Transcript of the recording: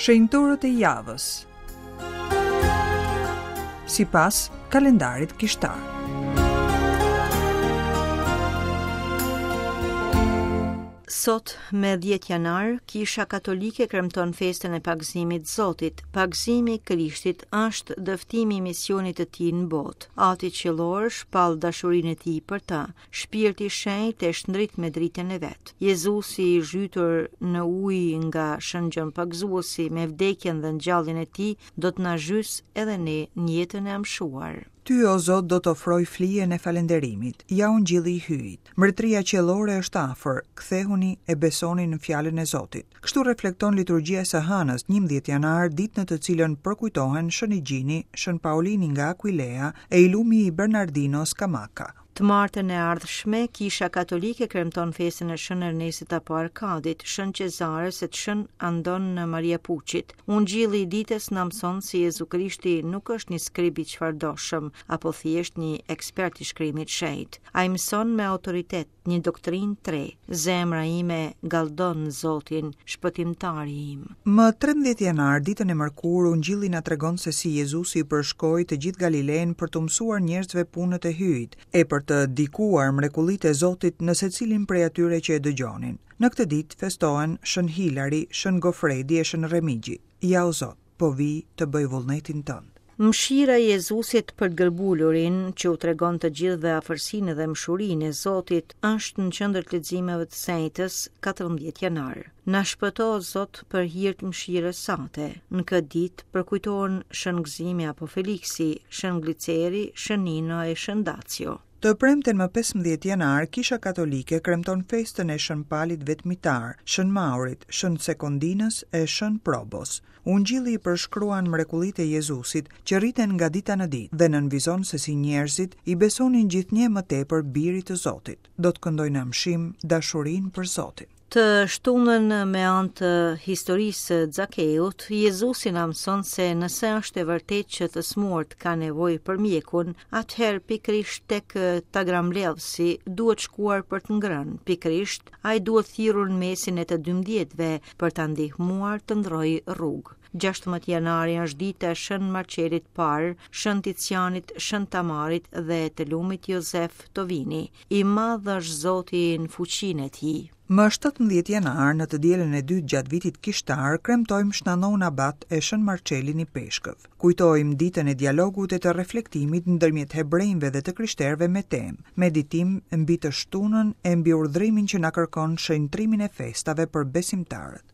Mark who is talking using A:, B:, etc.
A: Shenjtorët e javës. Sipas kalendarit kishtar.
B: Sot, me 10 janar, Kisha Katolike kremton festën e pagëzimit të Zotit. Pagëzimi i Krishtit është dëftimi i misionit të tij në botë. Ati qiellor shpall dashurinë e tij për të. Shpirti i Shenjtë e shndrit me dritën e vet. Jezusi i zhytur në ujë nga Shën Gjon Pagëzuesi me vdekjen dhe ngjalljen e tij do të na zhysë edhe ne në jetën e amshuar.
A: Ty, o Zot, do të ofroj flijen e falënderimit. Ja ungjilli i Hyjit. Mbretëria qiellore është afër, kthehuni e besoni në fjalën e Zotit. Kështu reflekton liturgjia e së hënës, 11 janar, ditë në të cilën përkujtohen Shën Igjini, Shën Paolini nga Aquilea e i lumi Bernardino Scamacca.
B: Të martën e ardhshme, Kisha Katolike kremton festën e Shën Ernestit apo Arkadit, Shën Qezares e të Shën Andon Maria Puçit. Ungjilli i ditës na mëson se Jezu Krishti nuk është një skrib i çfarëdoshëm apo thjesht një ekspert i shkrimit të shenjtë. Ai mëson me autoritet një doktrinë të re. Zemra ime galdon Zotin, shpëtimtari
A: im. Më 13 janar, ditën e mërkurë, Ungjilli na tregon se si Jezusi përshkoi të gjithë Galilenë për t'u mësuar njerëzve punët e Hyjit, e për të dikuar mrekullitë e Zotit në secilin prej atyre që e dëgjonin. Në këtë ditë festohen Shën Hilari, Shën Gofredi e Shën Remigji. Ja o Zot, po vij të bëj vullnetin tënd.
B: Mëshira e Jezusit për të gërbulurin, që u tregon të gjithëve afërsinë dhe mëshurinë e Zotit, është në qendër të leximeve të së enjtes, 14 janar. Na shpëto, o Zot, për hir të mëshirës sate. Në këtë ditë përkujtohen Shën Gëzimi apo Feliksi, Shën Gliceri, Shën Nino e Shën Dacio.
A: Të premten më 15 janar, Kisha Katolike kremton festën e Shën Palit Vetmitar, Shën Maurit, Shën Sekondinës e Shën Probos. Ungjilli përshkruan mrekullitë e Jezusit që rriten nga dita në ditë dhe nënvizon se si njerëzit i besonin gjithnjë më tepër Birit të Zotit. Do të këndojnë në amshim dashurinë për Zotin.
B: Të shtunën me anë të historisë së Zakeut, Jezusi na mëson se nëse është e vërtetë që të sëmurët kanë nevojë për mjekun, atëherë pikërisht tek tagrambledhësi duhet shkuar për të ngrënë, pikërisht ai duhet thirrur në mesin e të dymbëdhjetëve për ta ndihmuar të ndërrojë rrugë. 16 janari është dita e Shën Marçelit të Parë, Shën Ticianit, Shën Tamarit dhe të lumit Jozef Tovini. I madh është Zoti në fuqinë e
A: tij. Më 17 janar, në të dielën e dytë gjatë vitit kishtar, kremtojmë Shën Ndoun Abat e Shën Marçelin Ipeshkëv. Kujtojmë ditën e dialogut e të reflektimit ndërmjet hebrenjve dhe të krishterëve me temë, meditim mbi të shtunën e mbi urdhrimin që na kërkon shenjtrimin e festave për besimtarët.